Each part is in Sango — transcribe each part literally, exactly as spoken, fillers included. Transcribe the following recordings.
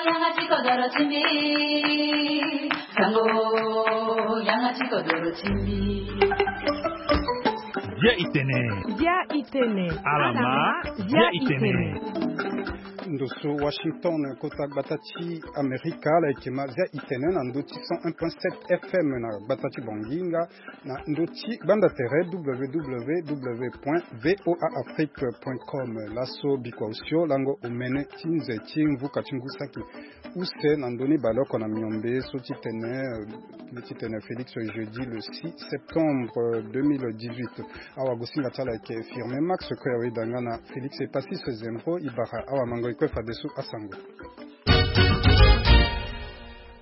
Yanga ti kodoro ti mbi. Sango, yanga ti kodoro ti mbi. Bia itene. Bia itene. Alama, bia itene. Ndo so Washington, kota gbata ti Amerika, ala yeke ma Zia itene na ndo ti cent un point sept F M na gbata ti Banginga, na ndo ti gbanda tere w w w point v o a afrique point com. Laso bikua osio lango omene ti nze ti mvuka ti ngu saki use na ndö ni baleoko na miombe so ti tene, eh, ti tene Félix, jeudi le six septembre deux mille dix-huit. Awagosinga ti ala ayeke Firmin Max, kue aweda nga na Félix Epasis Zembo. E bara awamango e kue fadeso asango.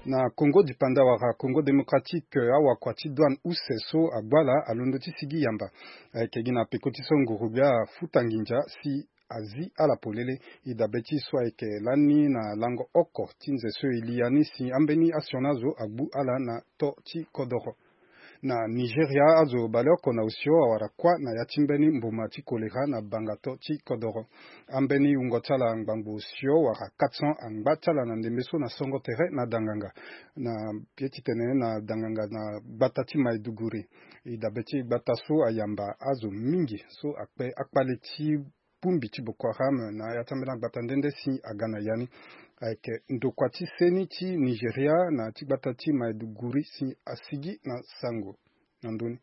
Na Congo dipanda wala Congo démocratique, awakua ti douane use so agbu ala alondo ti sigi yamba. Ayeke gi na peko ti so nguru gbia afuta nginza si azi ala polele. E dabe ti so ayeke lani na lango oko ti nze so e li ya ni si ambeni asioni azo agbu ala na to ti kodoro. Na Nigeria, azo baleoko na osio awara kuâ na ya ti mbeni mboma ti kolera na bangato ti kodoro. Ambeni wungo ti ala ngbangbo osio wara quatre cents angba ti ala na ndembe so na songo tere na danganga. Na ye ti tene na danganga na gbata ti Maiduguri. E dabe ti gbata so ayamba azo mingi so akpe akpale ti bongbi ti Boko Haram na ya ti ambeni agbata nde nde si aga na ya ni. Ayeke ndokua ti seni ti Nigeria na ti gbata ti Maiduguri si asigi na sango na ndö ni.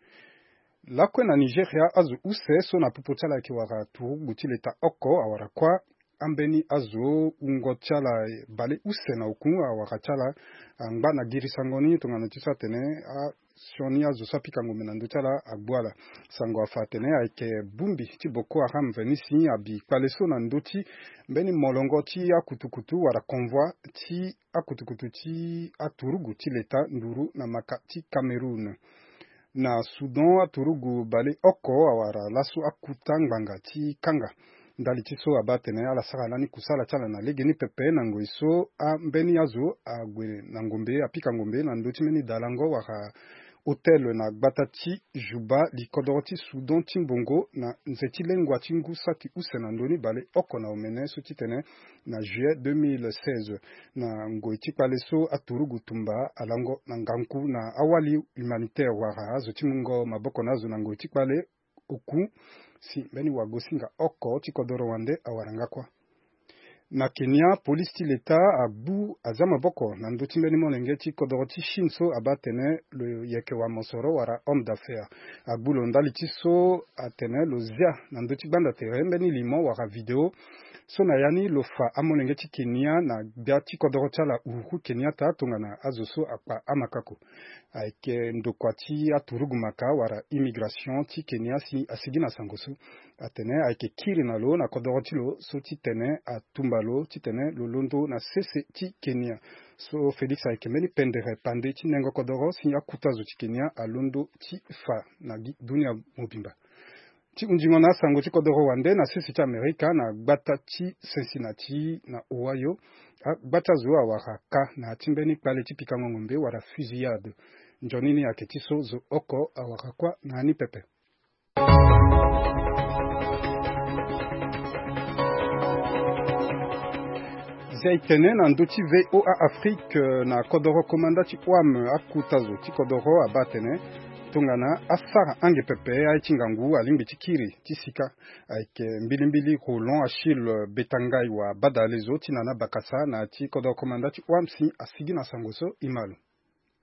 Lakue na Nigeria, azo use so na popo ti ala ayeke wara turugu ti leta oko awara kuâ. Ambeni azo wungo ti ala bale use na oku awara ti ala angba na girisango ni tongana ti so atene asioni azo so apika ngombe na ndö ti ala agbu ala. Sango afa atene ayeke bongbi ti Boko Haram veni si abi kpale so na ndö ti mbeni molongo ti akutukutu wala convoi ti akutukutu ti aturugu ti leta nduru na maka ti Cameroun. Na Soudan, aturugu bale oko awara laso akuta ngbanga ti kanga. Ndali ti so abaa atene ala sara lani kusala ti ala na legeni pepe na ngoi so ambeni azo ague na ngombe, apika ngombe na ndö ti mbeni dalango wala hôtel na gbata ti Juba, likodoro ti Soudan ti mbongo, na nze ti lengua ti ngu saki use na ndö ni bale oko na omene so ti tene na juillet deux mille seize. Na ngoi ti kpale so aturugu tumba alango na ngangu na awali humanitaire wala azo ti mungo maboko na azo na ngoi ti kpale oku si mbeni wagosinga oko ti kodoro wande awara nga kuâ. Na Kenya, polisi ti leta agbu azia maboko na ndö ti mbeni molenge ti kodoro ti Chine so abaa atene lo yeke wa mosoro wala homme d'affaires. Agbu lo ndali ti so atene lo zia na ndö ti gbanda tere mbeni limo wala video so na ya ni lo fa amolenge ti Kenya na gbia ti kodoro ti ala Uhuru Kenyatta tongana azo so akpa amakako. Ayeke ndokua ti aturugu maka wala immigration ti Kenya si asigi na sango so. Atene ayeke kiri na lo na kodoro ti lo so ti tene atumba lo ti tene lo londo na sese ti Kenya. So Félix ayeke mbeni pendere pande ti nengo kodoro si akuta zo ti Kenya alondo ti fa na gi dunia mobimba. Ti hundingo na asango ti kodoro wande na sese ti Amerika na gbata ti Cincinnati na Ohio, agbata zo awara ka na ya ti mbeni kpale ti pikango ngombe wala fusillade. Nzoni ni ayeke ti so zo oko awara kuâ na ya ni pepe. Zia e tene na ndö ti V O A Afrique, eh, na kodoro komanda ti O A M akuta zo ti kodoro abaa atene tongana asara ange pepe aye ti ngangu alingbi ti kiri ti sika. Ayeke mbilimbili Roland Achille Betangai wa badale zo ti nana bakasa na ti kodoro komanda ti O A M si asigi na sango so e ma lo.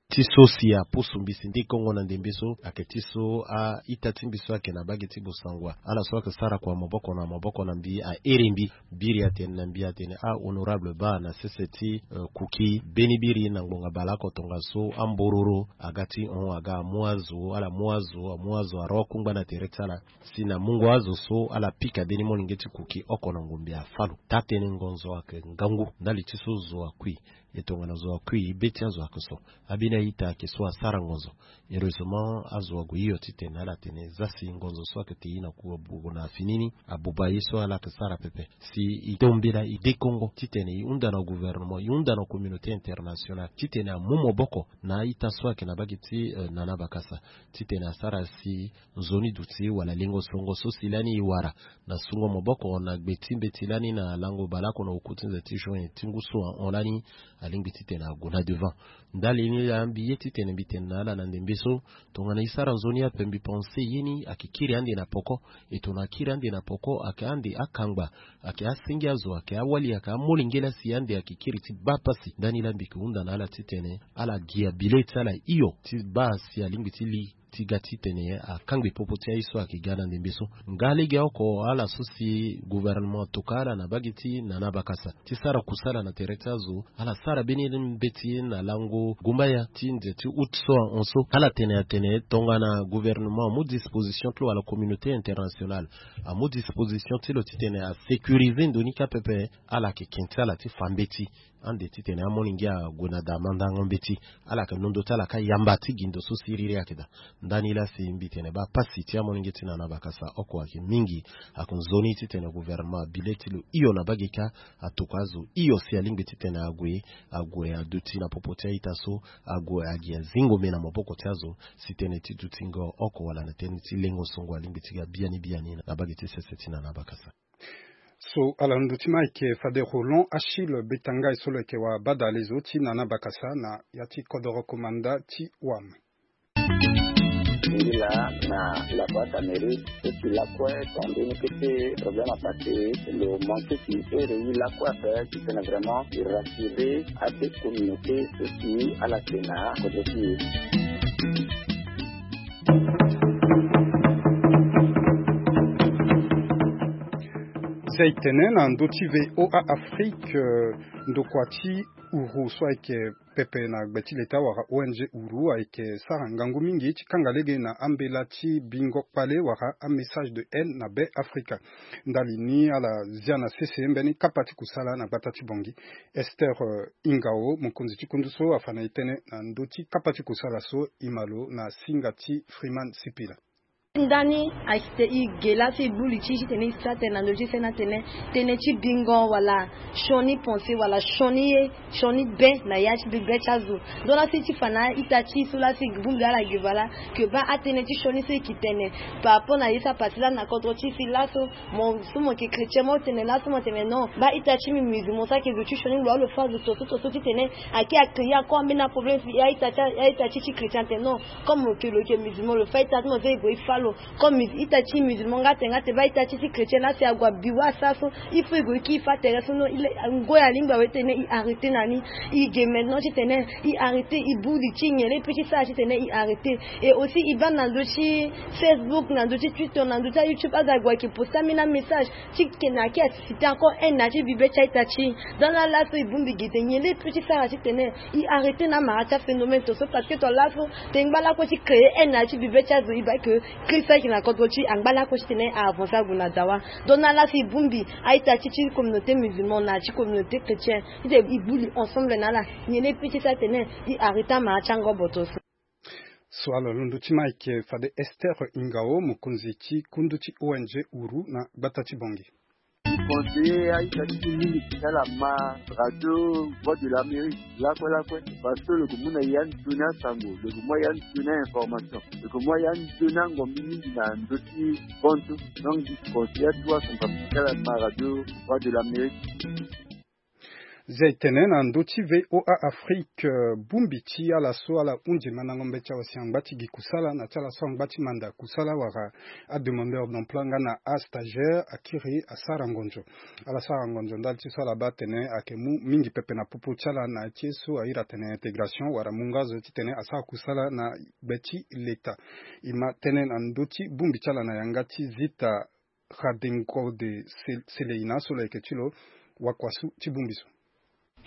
Ti so si apusu mbisi ndikongo na ndembe so ayeke ti so a-ita ti mbi so ayeke na bage ti Bosangwa, ala so ayeke sara kua maboko na maboko na mbi ahere mbi. Biri atene na mbi atene ahonorable baa na sese ti, eh, Kuki, mbeni biri na ngbonga baleoko tongaso ambororo aga ti hon aga amu azo, ala mu azo, amu azo arokungba na tere ti ala si na mungo azo so ala pika mbeni molenge ti Kuki oko na ngombe afa lo. Taa-tënë ngonzo ayeke ngangu ndali ti so zo akui. E tongana zo akui be ti azo ayeke so. Abini a-ita ayeke so asara ngonzo. Heureusement azo ague hio titene ala tene e za si ngonzo so ayeke te ye na ku abuba na fini ni, abuba ye so ala yeke sara pepe. Si e to mbela e dekongo titene e hunda na gouvernement, e hunda na communauté internationale titene amu maboko na a-ita so ayeke na bage ti, eh, Nana Bakasa, titene asara si nzoni duti wala lengo songo so si lani e wara na sungo maboko na gbe ti mbeti lani na lango baleoko na oku ti nze ti juin ti ngu so ahon lani, alingbi titene ague na devant. Ndali ni laa mbi ye titene mbi tene na ala na ndembe so, tongana e sara nzoni ape, mbi pense ye ni ayeke kiri ande na poko. E tongana akiri ande na poko, ayeke ande akangba, ayeke asenge azo, ayeke awali, ayeke amolenge laa si ande ayeke kiri ti baa pasi. Ndani laa mbi yeke hunda na ala titene ala gi abile ti ala hio ti baa si alingbi ti li ti ga titene akangbi popo ti aye so ayeke ga na ndembe so. Nga legeoko ala so si gouvernement atoka ala na bage ti Nana Bakasa ti sara kusala na tere ti azo, ala sara mbeni mbeti na lango gumbaya ti nze ti août so ahon so. Ala tene atene tongana gouvernement amu disposition ti lo wala communauté internationale amu disposition ti lo titene asécuriser ndo ni kâ pepe, ala yeke ken ti ala ti fa mbeti ande titene amolenge ague na daa mandango mbeti. Ala yeke londo ti ala kâ yamba ti gi ndo so siriri ayeke daa. Ndani laa si mbi tene baa pasi ti amolenge ti Nana Bakasa oko ayeke mingi. Ayeke nzoni titene gouvernement abile ti lo hio na bage kâ atokua azo hio si alingbi titene ague, ague aduti na popo ti a-ita so, ague agi azingo me na maboko ti azo si tënë ti dutingo oko wala na tënë ti lengo songo alingbi ti ga biani biani na bage ti sese ti Nana Bakasa. So ala ndö ti ma ayeke fade Roland Achille Betangai so lo yeke wabadalezo ti Nana Bakasa na ya ti kodoro komanda ti wam. Ngi laa na la boîte à mairie so si lakue tongana mbeni kete problème apassé, lo manqué si ere e lakue ape titene vraiment e rassurer abe communauté so si ala yeke na kodro ti e. Zia e tene na ndö ti V O A Afrique, eh, ndokua ti uru so ayeke pepe na gbe ti leta wala O N G uru ayeke sara ngangu mingi ti kanga lege na ambela ti bingo kpale wala amessage de haine na Be Afrika. Ndali ni ala zia na sese mbeni kapa ti kusala na gbata ti Bangui. Esther, eh, Ingao, mokonzi ti kundu so afa na e tënë na ndö ti kapa ti kusala so e ma lo na singa ti Freeman Sipila. Ndani ayeke e ge laa so e buli ti e titene e sara tënë na ndö ti sene atene tënë ti bingo wala sioni pensé wala sioni ye, sioni be na ya ti bibe ti azo. Donc laa so e ti fa na a-ita ti e so laa so e bongbi ala ge baa laa, que baa atënë ti sioni so e yeke tene par rapport na ye so apassé laa na kodro ti e si laso mo so mo yeke chrétien mo tene laso mo tene non, baa ita ti mbi musulman so ayeke zo ti sioni lo wala lo fa zo tongaso tongaso titene ayeke a créer encore ambeni aproblème si a-ita ti a-ita ti ti chrétien atene non. Comme lo yeke lo yeke musulman lo fa ita ti mo so e gue e fa lo. Comme ita ti musulman nga atene nga atene baa ita ti ti chrétien laa si ague abi wâ asara so, il faut e gue e kiri e fa tere so non. Ngoi alingbi awe titene e arrêter na ni. E ge maintenant titene e arrêter, e bongbi ti e nyen laa e peut ti sara titene e arrêter. Et aussi e baa na ndö ti Facebook, na ndö ti Twitter, na ndö ti aYouTube, azo ague ayeke poster ambeni amessage ti ke na yeke a susciter encore haine na ya ti bibe ti a-ita ti e. Donc laa laso e bongbi gi titene nyen laa e peut ti sara titene e arrêter na amara ti aphénomène tongaso, parce que tongana laso tene ngba lakue ti créer haine na ya ti bibe ti azo, e baa que Christ so ayeke na kodro ti e angba lakue titene a avancer ague na dawa. Donc na laso e bongbi a-ita ti ti communauté musulmane na ya ti communauté chrétienne, titene e bongbi ensemble na ala nyen laa e peut ti sara titene e arrêter amara ti angobo tongaso. So ala londo ti ma ayeke fade Esther Ingao, mokonzi ti kundu ti O N G uru na gbata ti Bangui. Conseiller a-ita ti mbi mingi ti ala ma radio Voix de l'Amérique lakue lakue, parce que lo yeke mu na ya nzoni asango, lo yeke mu ya nzoni a-information, lo yeke mu ya nzoni angombi mingi na ndö ti bantu. Donc mbi conseiller atuwa son papa ti ala ma radio Voix de l'Amérique. Zia e tene na ndö ti V O A Afrique, eh, bongbi ti ala so ala hunzi mandango mbeti awe si angba ti gi kusala na ti ala so angba ti manda kusala wala ademandeur d'emploi nga na astagiaire akiri asara ngonzo. Ala sara ngonzo ndali ti so ala baa atene ayeke mu mingi pepe na popo ti ala na ya ti ye so ahiri atene intégration wala mu nga azo titene asara kusala na gbe ti leta. E ma tënë na ndö ti bongbi ti ala na yanga ti Zita Khadengode Sel-, Seleina so lo yeke ti lo wakuasu ti bongbi so.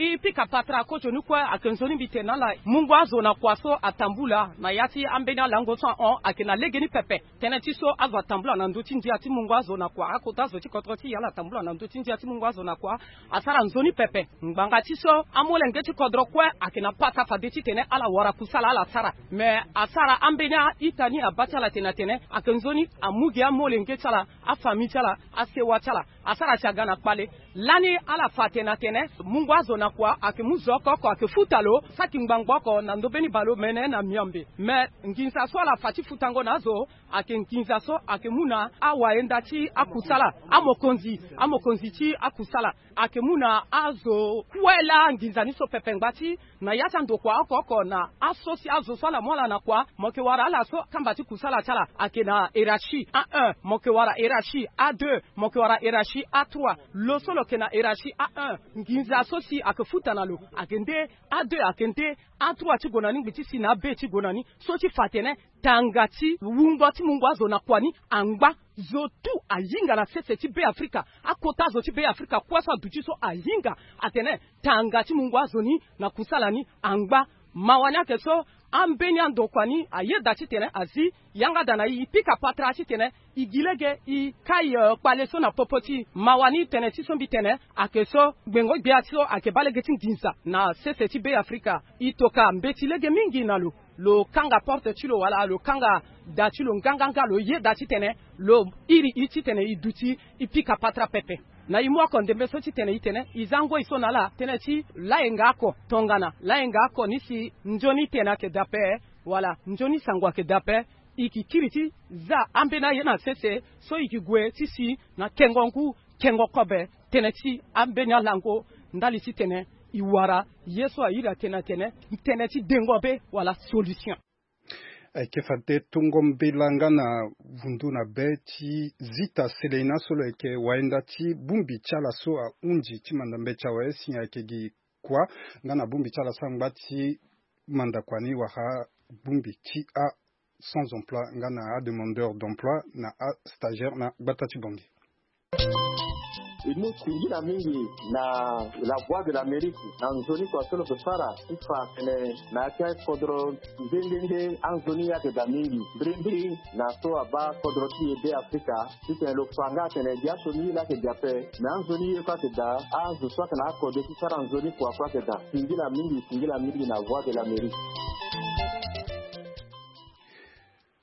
E pika patara kozo ni kue ayeke nzoni mbi tene na ala, mungo azo na kua so atambula na ya ti ambeni alango so ahon ayeke na legeni pepe. Tënë ti so azo atambula na ndö ti ndia ti mungo azo na kua, akota azo ti kodro ti e ala atambula na ndö ti ndia ti mungo azo na kua, asara nzoni pepe. Ngbanga ti so amolenge ti kodro kue ayeke na pata fade titene ala wara kusala ala sara. Me asara ambeni a-ita ni abaa ti ala tene atene ayeke nzoni amu gi amolenge ti ala, afamille ti ala, asewa ti ala. Asara si aga na kpale. Lani ala fa tene atene mungo azo na kua ayeke mu zo oko oko ayeke futa lo saki ngbangbo oko na ndö mbeni baleomene na miambe. Me nginza so ala fa ti futango na azo ayeke nginza so ayeke mu na awayenda ti akusala, amokonzi, amokonzi ti akusala. Ayeke mu na azo kue laa nginza ni so pepe ngbati na ya ti andokua oko oko na aso si azo so ala mu ala na kua, mo yeke wara ala so kamba ti kusala ti ala ayeke na hiérarchie a un, mo yeke wara hiérarchie a deux, mo yeke wara hiérarchie a trois. Lo so lo yeke na hiérarchie a un, nginza so si ayeke futa na lo ayeke nde a deux, ayeke nde a trois ti gue na ni, ngbi ti si na abe ti gue na ni. So ti fa atene tanga ti wungo ti mungo azo na kua ni angba. Zo tout ahinga na sese ti Be Afrika. Akota zo ti Be Afrika kue so aduti so ahinga atene tanga ti mungo azo ni na kusala ni angba. Mawa ni ayeke so ambeni andokua ni ayeda titene azi yanga daa na e, e pika patara titene e gi lege e kai, eh, kpale so na popo ti e. Mawa ni tënë ti so mbi tene ayeke so gbengo-gbia so ayeke baa lege ti nginza na sese ti Be Afrika. E toka mbeti lege mingi na lo. Lo kanga porte ti lo wala lo kanga da ti lo nganganga, lo yeda titene lo iri e titene e duti e pika patara pepe. Na e mu oko ndembe so titene e tene e za ngoi so na ala tënë ti layenga oko tongana layenga oko ni si nzoni tene ayeke daa ape wala nzoni sango ayeke daa ape. E yeke kiri ti za ambeni aye na sese so e yeke gue ti si na kengo ngu, kengo kobe, tënë ti ambeni alango ndali titene e wara ye so a iri atene atene tënë ti dengo be wala solution. Ayeke fade tongo mbela nga na vundu na be ti Zita Seleina so lo yeke wayenda ti bongbi ti ala so ahunzi ti manda mbeti awe si ayeke gi kua nga na bongbi ti ala so angba ti manda kua ni wala bongbi ti a sans emploi nga na ademandeur d'emploi na astagiaire na gbata ti Bangui. E mu singila mingi na La Voix de l'Amérique na nzoni kua so lo yeke sara ti fa atene na ya ti akodro nde nde nde anzoni ye ayeke daa mingi mbirimbiri na so abaa kodro ti e Be Afrika. Titene lo fa nga atene biaso ni ye laa ayeke daa ape, me anzoni ye kue ayeke daa, azo so ayeke na akode ti sara nzoni kua kue ayeke daa. Singila mingi, singila mingi na Voix de l'Amérique.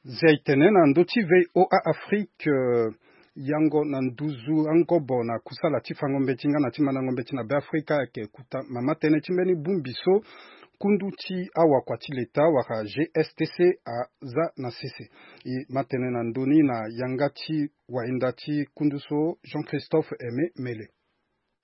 Zia e tene na ndö ti V O A Afrique, eh, yango na nduzu angobo na kusala ti fango mbeti nga na ti mandango mbeti na Be Afrika ayeke kuta mama tënë ti mbeni bongbi so kundu ti awakua ti leta wala G S T C aza na sese. E ma tene na ndö ni na yanga ti wayenda ti kundu so Jean Christophe Aimé Mele.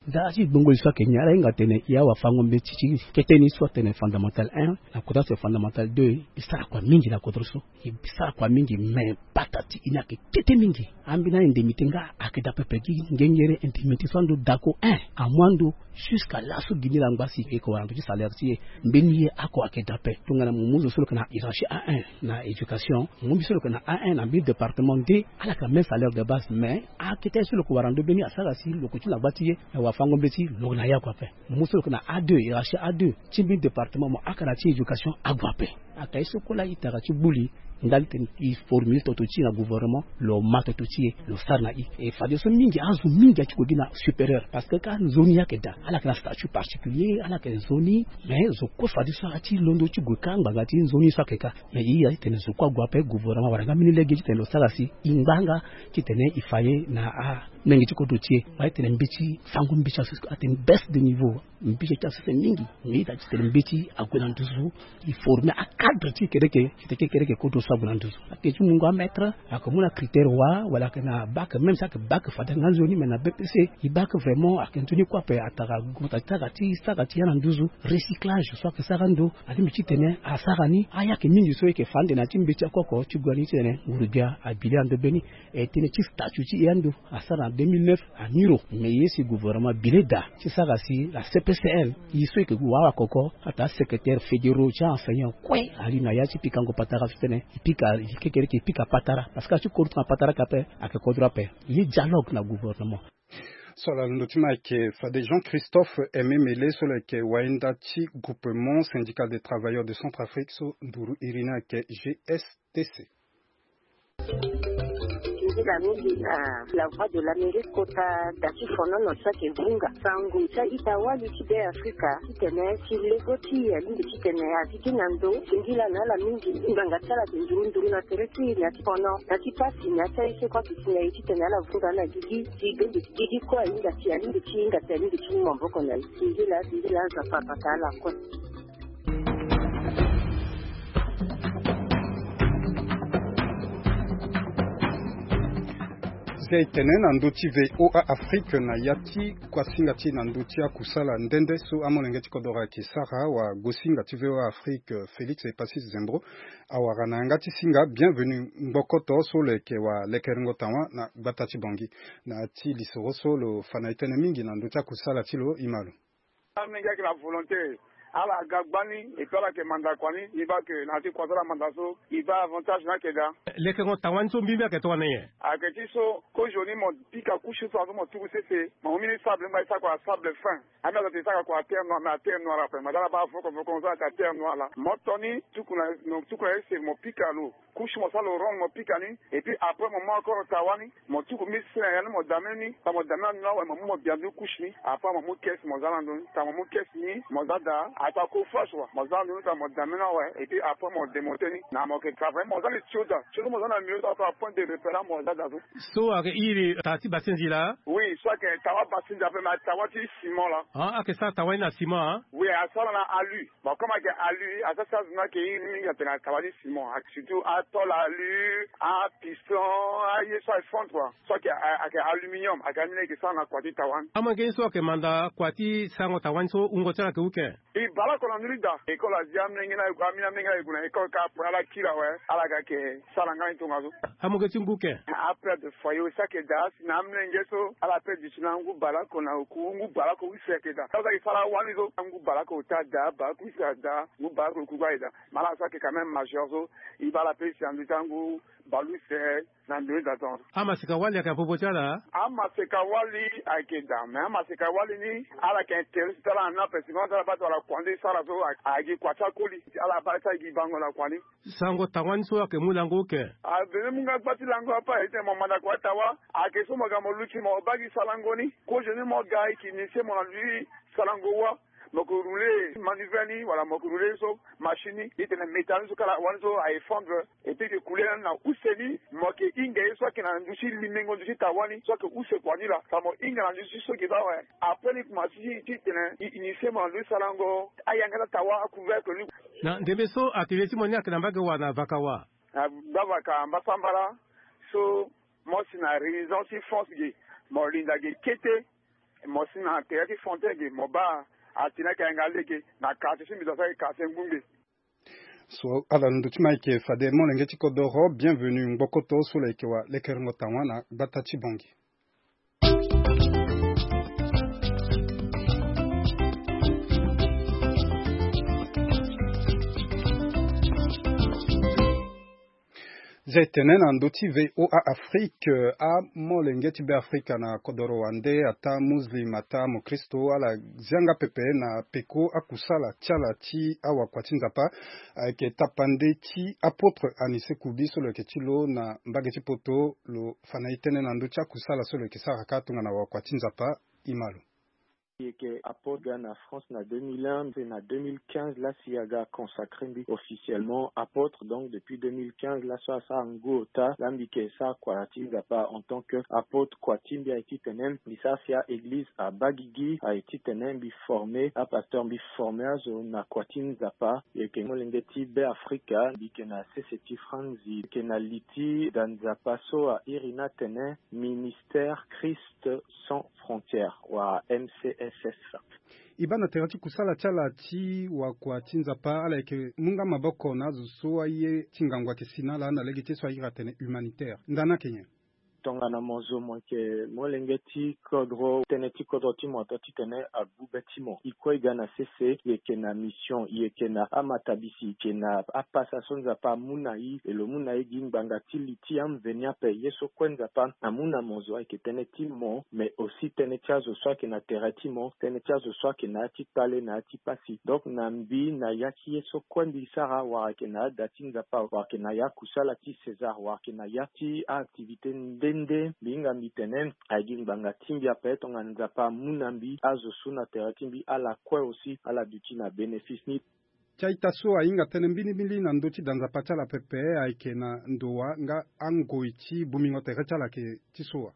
Nda ti gbongo e so ayeke ni ala hinga atene e awafango mbeti ti kete ni so atene fondamental un na kota so fondamental deux, e sara kua mingi na kodro so. E sara kua mingi me pata ti e ni ayeke kete mingi. Ambeni a-indemnité nga ayeke daa pepe gi ngengere indemnité so ando dako un amu ando jusqu'à laso gi ni la ngba si e yeke wara ndo ti salaire ti e. Mbeni ye oko ayeke daa ape tongana mo mu zo so lo yeke na hiérarchie A un na éducation, mo mu mbi so lo yeke na A un na mbeni département nde ala yeke na même salaire de base, mais akete ye so lo yeke wara ndo mbeni asara si lo yeke ti na gba ti ye. Awafango mbeti lo yeke na ya kua ape. Mo mu so lo yeke na A deux, hiérarchie A deux ti mbeni département mo aka na ti éducation ague ape. Aka ye so kue laa e tara ti gbu li ndali tene e formule toto ti e na gouvernement, lo ma toto ti e, lo sara na e. E fadeso mingi azo mingi ati gue gi na supérieur parce que ka nzoni ye ayeke daa, ala yeke na statut particulier, ala yeke nzoni. Mais zo kue fadeso ati londo ti gue ka ngbanga ti nzoni so ayeke ka. Mais e iri atitene zo kue ague ape, gouvernement awara nga mbeni lege titene lo sara si e ngba nga titene e fa ye na amenge ti kodro ti e. Wala titene mbeti fango mbeti aso atene baisse de niveau. Mbeti ti asese mingi. Mais e iri atitene mbeti ague na nduzu e former acadre ti kekereke, ti kekereke kodro so ague na nduzu. Ayeke ti mungo amaître, ayeke mu na critère wa wala ayeke na bac, même si ayeke bac fade nga nzoni, mais na B P C e bac vraiment ayeke nzoni kue ape. Atara gota ti sara ti sara ti ya na nduzu recyclage so ayeke sara ndo. Alingbi titene asara ni. Aya ayeke mingi so e yeke fa ande na ya ti mbeti oko oko ti gue ni titene nguru-gbia abi le ando mbeni. E tënë ti statut ti e ando asara na deux mille neuf. Amiro me ye si gouvernement bi le daa ti sara si la C P C L, ye so e yeke gue wawa koko ata asecrétaire fédéraux ti aenseignant kue ali na ya ti pikango patara so titene e pika kekereke e pika patara parce que ati kodro ti na patara ka ape. Ayeke kodro ape. Ye dialogue na gouvernement. So ala londo ti ma ayeke fade Jean Christophe Aimé Mele so lo yeke wainda ti Groupement Syndical des Travailleurs de Centrafrique so nduru iri ni ayeke G S T C. Nzila mingi na La Voix de l'Amérique kota da ti fonono so ayeke vunga sango ti a-ita wali ti Be Afrika titene ti lego ti e alingbi titene a sigi na ndo singila na ala mingi. Ngbanga ti ala ayeke nduru nduru na tere ti e na ti fono na ti pasi na ya ti aye so kue ayeke si na e titene ala vunga na gigi. Ti bende gigi kue ahinga ti alingbi ti hinga ti alingbi ti mu maboko na e. Singila singila Nzapa abata ala kue. Zia e tene na ndö ti VOA Afrique na ya ti kuasinga ti e na ndö ti akusala nde nde so amolenge ti kodoro ayeke sara. Wagosinga ti VOA Afrique Félix Epacis Zembro awara na yanga ti singa Bienvenu Ngbokoto so lo yeke wa lekerengo tawa na gbata ti Bangui. Na ya ti lisoro so lo fa na e tënë mingi na ndö ti akusala ti lo, e ma lo. Amolenge ayeke na volonté. Ala ga gbani et puis ala yeke manda kua ni. E baa ke na ya ti kua so ala manda so e baa avantage ni ayeke daa. Lekerengo tawa ni so mbimbi ayeke tongana nyen? Ayeke ti so kozoni mo pika couche so azo mo tuku sese mo mu mbeni sable ngba e sara kua sable fin. Ami azo ate e sara kua terre noire mais aterre noire ape mo za ala baa voko voko mo za ayeke aterre noire laa mo to ni tuku na tuku na ese mo pika lo. Couche mo sara lo ronde mo pika ni. Et puis après mo mu encore tawa ni mo tuku mbeni sese na ya ni mo dame ni. Tongana mo dame ni ando ni awe mo mu mo bia ndu couche ni. Après mo mu caisse mo za na ndo ni. Tongana mo mu caisse ni mo za daa. Ato ako flash wa mo za na ndo ni tongana mo dame ni awe. Et puis après mo demonte ni na mo yeke travail mo za li tio daa tio so mo za na mio so ato apoint de repère mo za daa so. So ayeke iri taa ti basenzi laa? Oui so ayeke tawa basenzi ape mais tawa ti ciment laa. Ah, ayeke sara tawa ni na ciment ah? Oui asara na alu. Bon comme ayeke alu asara sara zo ni ayeke iri mingi atene ataba ti ciment surtout atol alu apiston aye so ayeke fondre kua. So ayeke ayeke aluminium ayeke ani ni ayeke sara na kua ti tawa ni. Amolenge ni so ayeke manda kua ti sarango tawa ni so wungo ti ala ayeke uke? E bale oko na ndö ni daa. École azi amolenge ni aye gue amolenge ni aye gue na école kâ après ala kiri awe. Ala ga ayeke sara nga ni tongaso. Amolenge ti ngu uke? Apère de foyer aussi ayeke daa si na amolenge so ala père du ti na ngu bale oko na oku ngu bale oko use ayeke daa so ayeke sara awani so ngu bale oko ota daa bale oko use daa ngu bale oko oku aye daa. Mais ala so ayeke quand même majeur so e baa ala pe si na ndö ti angu bale use. Na ndö ni daa tongaso. Amaseka wali ayeke na popo ti ala? Amaseka wali ayeke daa mais amaseka wali ni ala yeke intérêt ti ala na ni ape si ngonda ti ala baa tongana kua nde e sara so. Ayeke kua ti akoli ala baa ti ala gi bango na kua ni. Sango tawa ni so ayeke mu lango oke? Abene mu nga gba ti lango ape aye ti tene mo manda kua ti tawa. Ayeke so mo ga mo luti mo baa gi sarango ni. Kozoni mo ga e yeke initie mo na ndö ti sarango wa. Mo yeke roule manivelle ni wala mo yeke roule so machine ni e tene métal ni so kala wani so a effondre. Et puis e yeke kule na use ni mo yeke hinga ye so ayeke na ndö ti limengo ndö ti tawa ni so ayeke use kua ni laa tongana mo hinga na ndö ti so e yeke baa awe. Après ni kuma ti ti tene e initie mo na ndö ti sarango ayanga ti atawa acouvercle ni. Na ndembe so atelier ti mo ni ayeke na mbage wa na vaka wa? Na gbavaka mbasambala. So mo si na résidence ti France ge mo linda ge kete. Mo si na tere ti fontaine ge mo baa atene ayeke yanga lege na quartier ti mbi zo so ayeke quartier ngbongbe. So ala na ndö ti ma ayeke fade molenge ti kodoro Bienvenu Ngbokoto so lo yeke wa lekerengo tawa na gbata ti Bangui. Zia e tene na ndö ti VOA Afrique amolenge ti Be Afrika na kodoro wande ataa muslim ataa mokristo ala zia nga pepe na peko akusala ti ala ti awakua ti Nzapa. Ayeke tapande ti apôtre Anicet Kubi so lo yeke ti lo na mbage ti poto lo fa na e tënë na ndö ti akusala so lo yeke sara kâ tongana wakua ti Nzapa. E ma lo. E yeke apôtre aga na France na deux mille un pe na deux mille quinze laa si aga consacré mbi officiellement apôtre donc depuis deux mille quinze laso asara ngu ota laa mbi yeke sara kua ti Nzapa en tant que apôtre. Kua ti mbi aye titene mbi sara si a-église abaa gigi. Aye titene mbi formé apasteur mbi formé azo na kua ti Nzapa. E yeke molenge ti Be Afrika mbi yeke na sese ti Franzi e yeke na li ti da Nzapa so a iri ni atene Ministère Christ Sans Frontières wa M C S S. E baa na tere ti kusala ti ala ti wakua ti Nzapa ala yeke mu nga maboko na azo so aye ti ngangu ayeke si na ala na lege ti ye so a iri atene humanitaire ndani ayeke nyen? Tongana mo zo mo yeke molenge ti kodro, tënë ti kodro ti mo ato titene agbu be ti mo. E kue e ga na sese, e yeke na mission, e yeke na amatabisi, e yeke na apasa so Nzapa amu na e, e lo mu na e gi ngbanga ti li ti amveni ape. Ye so kue Nzapa amu na mo zo ayeke tënë ti mo, mais aussi tënë ti azo so ayeke na tere ti mo, tënë ti azo so ayeke na ya ti kpale, na ya ti pasi. Donc na mbi, na ya ti ye so kue mbi sara, wala ayeke na ada ti Nzapa, wala ayeke na ya kusala ti César, wala ayeke na ya ti a-activité nde nde, mbi hinga mbi tene aye gi ngbanga ti mbi ape tongana Nzapa amu na mbi azo so na tere ti mbi ala kue aussi ala duti na bénéfice ni. Ti a-ita so ahinga tënë mbirimbiri na ndö ti da Nzapa ti ala pepe ayeke na ndo wa nga angoi ti bongbingo tere ti ala ayeke ti so wa.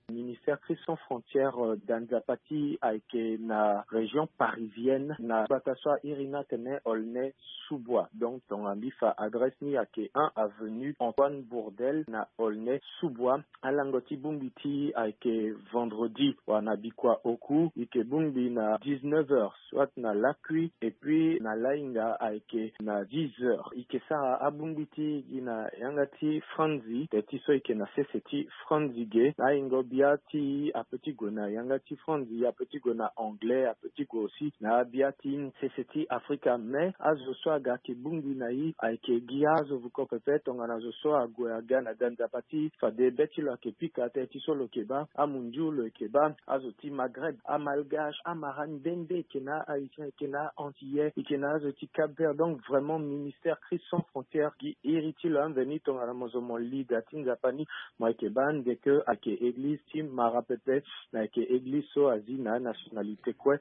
Ministère Christ Sans Frontières, euh, da Nzapa ti ayeke na région parisienne, na gbata so a iri ni atene Aulnay-sous-Bois. Donc tongana mbi fa adresse ni ayeke un avenue Antoine Bourdelle na Aulnay-sous-Bois. Alango ti bongbi ti e ayeke vendredi, wala na bikua oku e yeke bongbi na dix-neuf heures, soit na lakui, et puis na lahinga ayeke na dix heures. E yeke sara abongbi ti e gi na yanga ti franzi, tere ti so e yeke na sese ti franzi ge. Na ahingo bia ti e ape ti gue na yanga ti franzi, ape ti gue na anglais, ape ti gue aussi na abia ti sese ti Afrika. Mais azo so aga ayeke bongbi na e ayeke gi azo vuko pepe, tongana zo so ague aga na da Nzapa ti e, fade be ti lo ayeke pika, tere ti so lo yeke baa amundiu, lo yeke baa azo ti Maghreb, amalgache, amarani nde nde, e yeke na a-haïtien, e yeke na a-antillais, e yeke na azo ti Cap-Vert. Donc vraiment Ministère Christ Sans Frontières gi iri ti lo amveni tongana mo zo mo li da ti Nzapa ni, mo yeke baa ande ke ayeke église ti mara pepe, na ayeke église so azi na nationalité kue.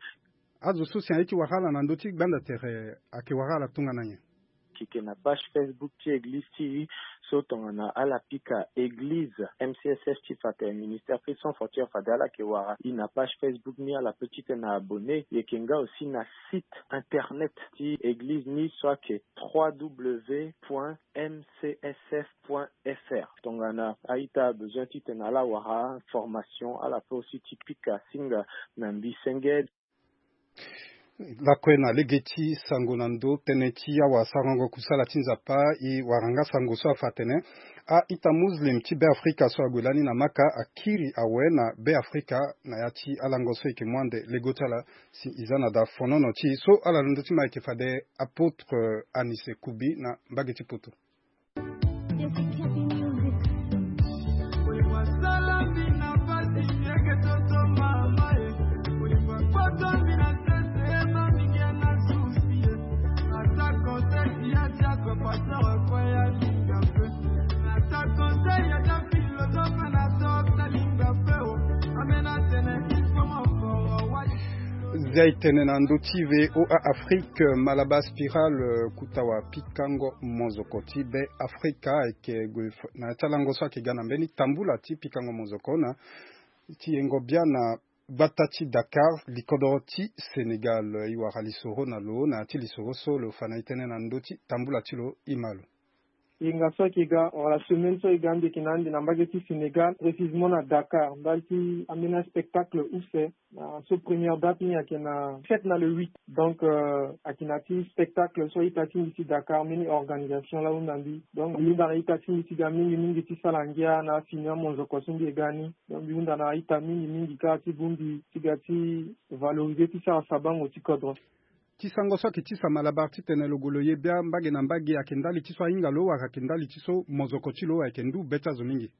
Azo so si aye ti wara ala na ndö ti gbanda tere ayeke wara ala tongana nyen? E yeke na page Facebook ti église ti e. So tongana ala pika église M C S F ti fa tene Ministère Christ Sans Frontières, fade ala yeke wara e na page Facebook ni, ala peut titene abonné. E yeke nga aussi na site internet ti église ni so ayeke trois W point M C S F point F R. Tongana a-ita abezoin titene ala wara information, ala peut aussi ti pika singa na mbi senge. Lakue na lege ti sango na ndö tënë ti awasarango kusala ti Nzapa, e wara nga sango so afa atene a-ita muslim ti Beafrika so ague lani na Maka akiri awe na Beafrika na ya ti alango so e yeke mu ande lego ti ala si e za na da fonono ti e. So ala na ndö ti ma e yeke fade apôtre Anise Kubi na mbage ti poto. Zia e tene na ndö ti V O A Afrique, Malabar Spiral, kuta wa pikango mozoko ti Beafrika, ayeke gue na ya ti alango so ayeke ga na mbeni tambula ti pikango mozoko na ti yengo bia na gbata ti Dakar, likodro ti Sénégal. E wara lisoro na lo na ya ti lisoro so lo fa na e tënë na ndö ti tambula ti lo, e ma lo. Yenga so ayeke ga wala semaine so ayeke ga ande yeke na ande na mbage ti Sénégal, précisément na Dakar, ndali ti ambeni aspectacle use. Na so première date ni ayeke na sept na le huit. Donc euh, ayeke na ti spectacle so a-ita ti mbi ti Dakar mbeni organisation la ahunda mbi. Donc mbi hunda na a-ita ti mbi ti ga mingi mingi ti sala ngia na afini amonzoko so mbi ye ga ni. Donc mbi hunda na a-ita mingi mingi kâ ti bongbi ti ga ti valoriser ti sara sabango ti kodro. Ti sango so ayeke ti sa Malabar titene lo gue lo ye bia mbage na mbage, ayeke ndali ti so ahinga lo wala ayeke ndali ti so mozoko ti lo ayeke ndu be ti azo mingi?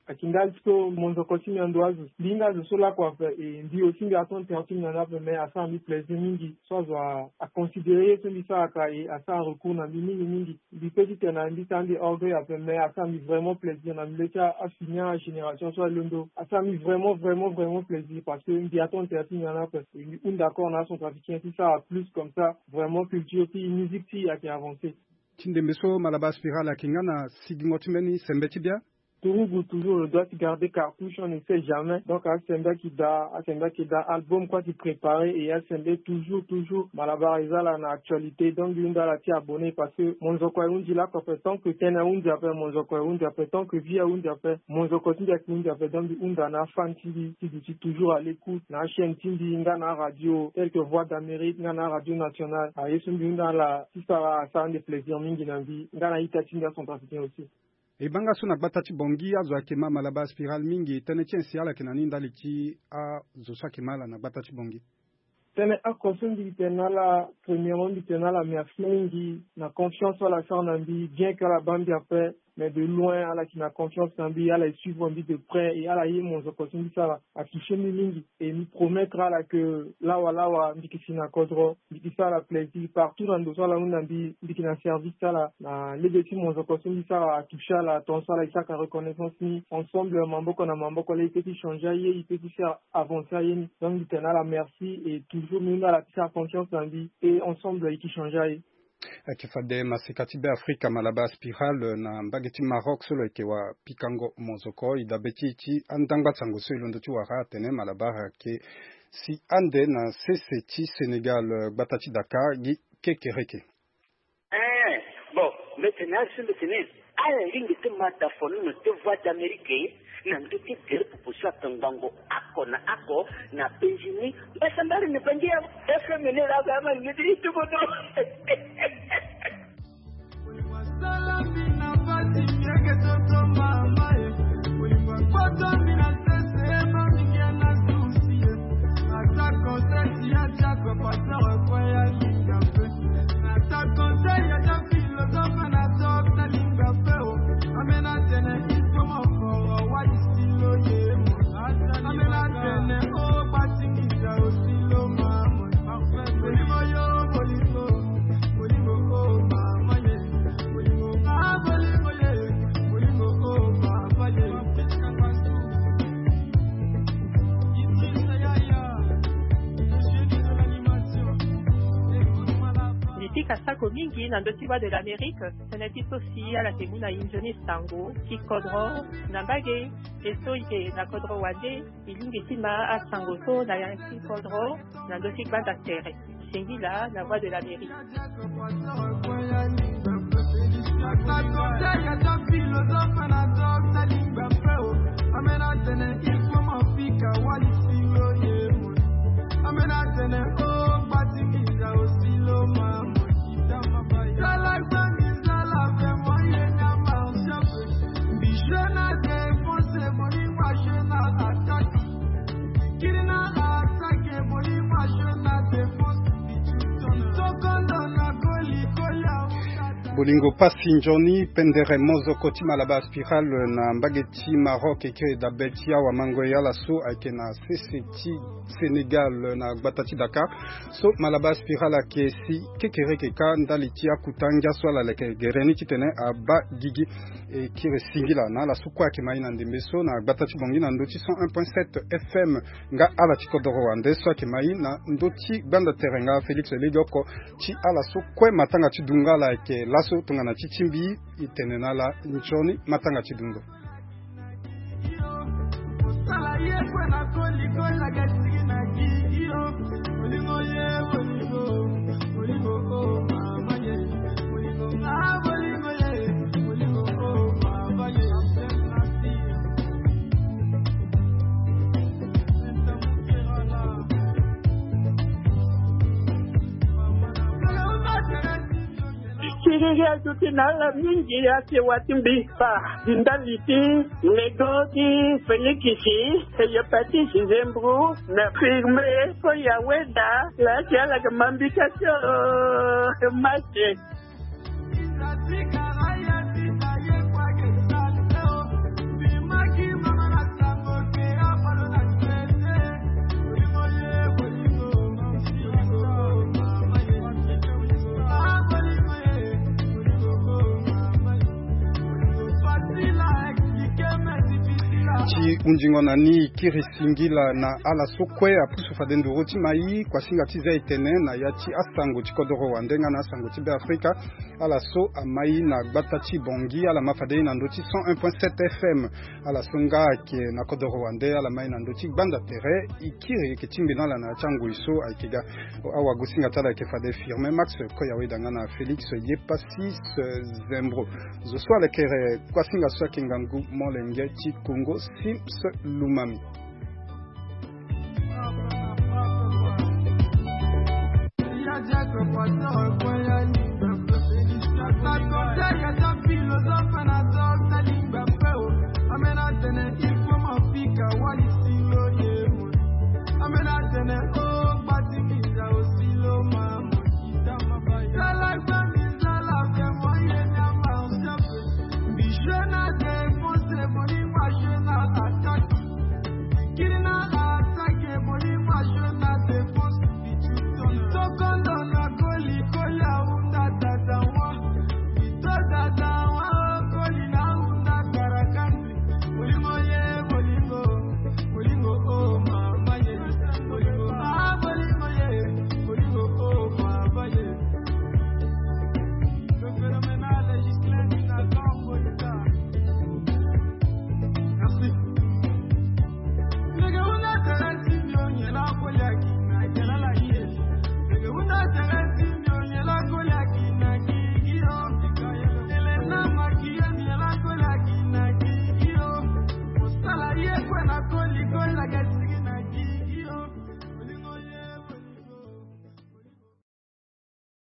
Ayeke ndali ti so mozoko ti mbi ando azo. Mbi hinga azo so lakue ape, e mbi aussi mbi atonda tere ti mbi na ndo ape, mais asara mbi plaisir mingi so azo a, aconsidérer ye so mbi sara ka, e asara recours na mbi mingi mingi. Mbi peut ti tene na mbi sara mbi orgueil ape, mais asara mbi vraiment plaisir na mbi le ti afini agénération so alondo. Asara mbi vraiment vraiment vraiment plaisir parce que mbi atonda tere ti mbi na ndo ape. E mbi hunda encore na acentrafricain ti sara plus, comme ça vraiment culture ti musique ti ayeke avancer. Ti ndembe so Malabar Spiral ayeke nga na sigingo ti mbeni sembe ti bia. Turugu, toujours le droit ti garder cartouche, on ne sait jamais. Donc asembe ayeke daa, asembe ayeke daa, album kue ayeke préparer, et asembe toujours toujours Malabar eza ala na actualité. Donc mbi hunda ala ti abonner parce que monzoko ahundi lakue ape, tant que tënë ahundi ape monzoko ahundi ape, tant que vie ahundi ape monzoko ti mbi ayeke hundi ape. Donc mbi hunda na afan ti mbi ti duti toujours à l'écoute na achaîne ti mbi nga na aradio tel que Voix d'Amérique nga na aradio nationale. Aye so mbi hunda ala ti sara asara ande plaisir mingi na mbi nga na a-ita ti mbi acentrafricain aussi. E banga so na gbata ti Bangui azo ayeke ma Malabar Spiral mingi, tënë ti nyen si ala yeke na ni ndali ti azo so ayeke ma ala na gbata ti Bangui? Tënë oko so mbi tene na ala, premièrement mbi tene na ala merci mingi na confiance so ala sara na mbi, bien que ala baa mbi ape, mais de loin ala yeke na confiance na mbi, ala e suivre mbi de près et ala ye monzoko so mbi sara atoucher mbi mingi. Et mbi promettre ala que lawa lawa mbi yeke si na kodro, mbi yeke sara ala plaisir partout na ndo so ala hunda mbi, mbi yeke na service ti ala. Na lege ti monzoko so mbi sara atoucher ala, tongaso ala e sara reconnaissance ni, ensemble maboko na maboko la e peut ti changer aye, e peut ti sara avancer aye ni. Donc mbi tene na ala merci et toujours mbi hunda ala ti sara confiance na mbi et ensemble e yeke changer aye. Ayeke fade maseka ti Beafrika Malabar Spiral na mbage ti Maroc so lo yeke wa pikango monzoko. E dabe ti e ti andangba sango so e londo ti wara atene Malabar ayeke si ande na sese ti Sénégal, gbata ti Dakar gi kekereke. Eh, bon, mbi tene na ala so mbi tene, ala lingbi ti ma da fo ni na te Voix d'Amérique na ndö ti gere popo so atongbango oko na oko na penzi ni. Mbasambari ni bangi ya F M ni la ga ma ni ti tukutu. Mbi pika sako mingi na ndö ti Voix de l'Amérique, tënë ti so si ala yeke mu na e nzoni sango ti kodro na mbage. E so e yeke na kodro wande, e lingbi ti ma asango so na ya ti kodro na ndö ti gbanda tere. Singila na Voix de l'Amérique. Bolingo pasi nzoni pendere mozoko ti Malabar Spiral na mbage ti Maroc, eke dabe ti awamango e ala so ayeke na sese ti Sénégal na gbata ti Dakar. So Malabar Spiral ayeke si kekereke kâ ndali ti akuta ngia so ala leke gere ni titene abaa gigi. E kiri singila na ala so kue ayeke ma e na ndembe so na gbata ti Bangui na ndö ti cent un point sept F M, nga ala ti kodoro wande so ayeke ma e na ndö ti gbanda tere nga Félix Legioko, ti ala so kue matanga ti dungo ala ayeke laso tongana ti ti mbi. E tene na ala nzoni matanga ti dungo. Siriri azo ti na ala mingi asewa ti mbi fa ndali ti lego ti Félix, e ye pa ti Zizembro na firme ko ya weda la ti ala ke mambika ti o mate. Ti hunzingo na ni, e kiri singila na ala so kue apusu fade nduru ti ma e kuasinga ti za e tene na ya ti asango ti kodoro wande nga na asango ti Beafrika. Ala so ama e na gbata ti Bangui, ala ma fade e na ndö ti cent un point sept F M. Ala so nga ayeke na kodoro wande, ala ma e na ndö ti gbanda tere. E kiri e yeke tingbi na ala na ya ti angoi so ayeke ga. Awagosinga ti ala ayeke fade Firmin Max Koyaweda nga na Félix Yepassis Zembro. Zo so alekere kuasinga so ayeke ngangu molenge ti Kongo, Sims Lumami.